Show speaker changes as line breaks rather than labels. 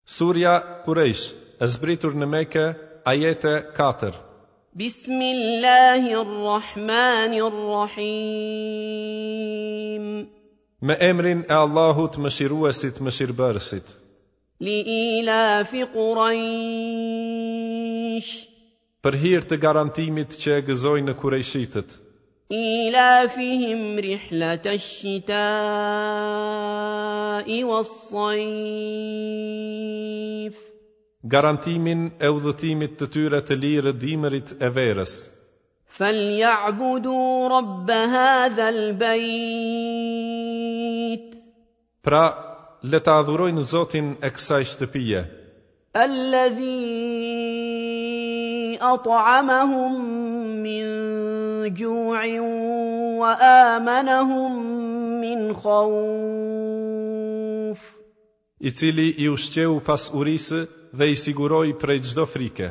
Surja Kurejsh, e zbritur në Mekë, ajete 4.
بسم الله الرحمن الرحيم
Me emrin e Allahut Mëshiruesit, Mëshirbërësit.
لإيلاف قريش
Për hir të garantimit që e gëzojnë kurejshitët.
إيلافهم رحلة الشتاء والصيف
Garantimin e udhëtimit të tyre të lirë dimrit e verës.
فليعبدوا رب هذا البيت
Pra, le ta adhurojnë Zotin e kësaj shtëpie,
الذي أطعمهم من جوع وآمنهم من خوف
i cili i ushqeu pas urisë dhe i siguroi prej çdo frike.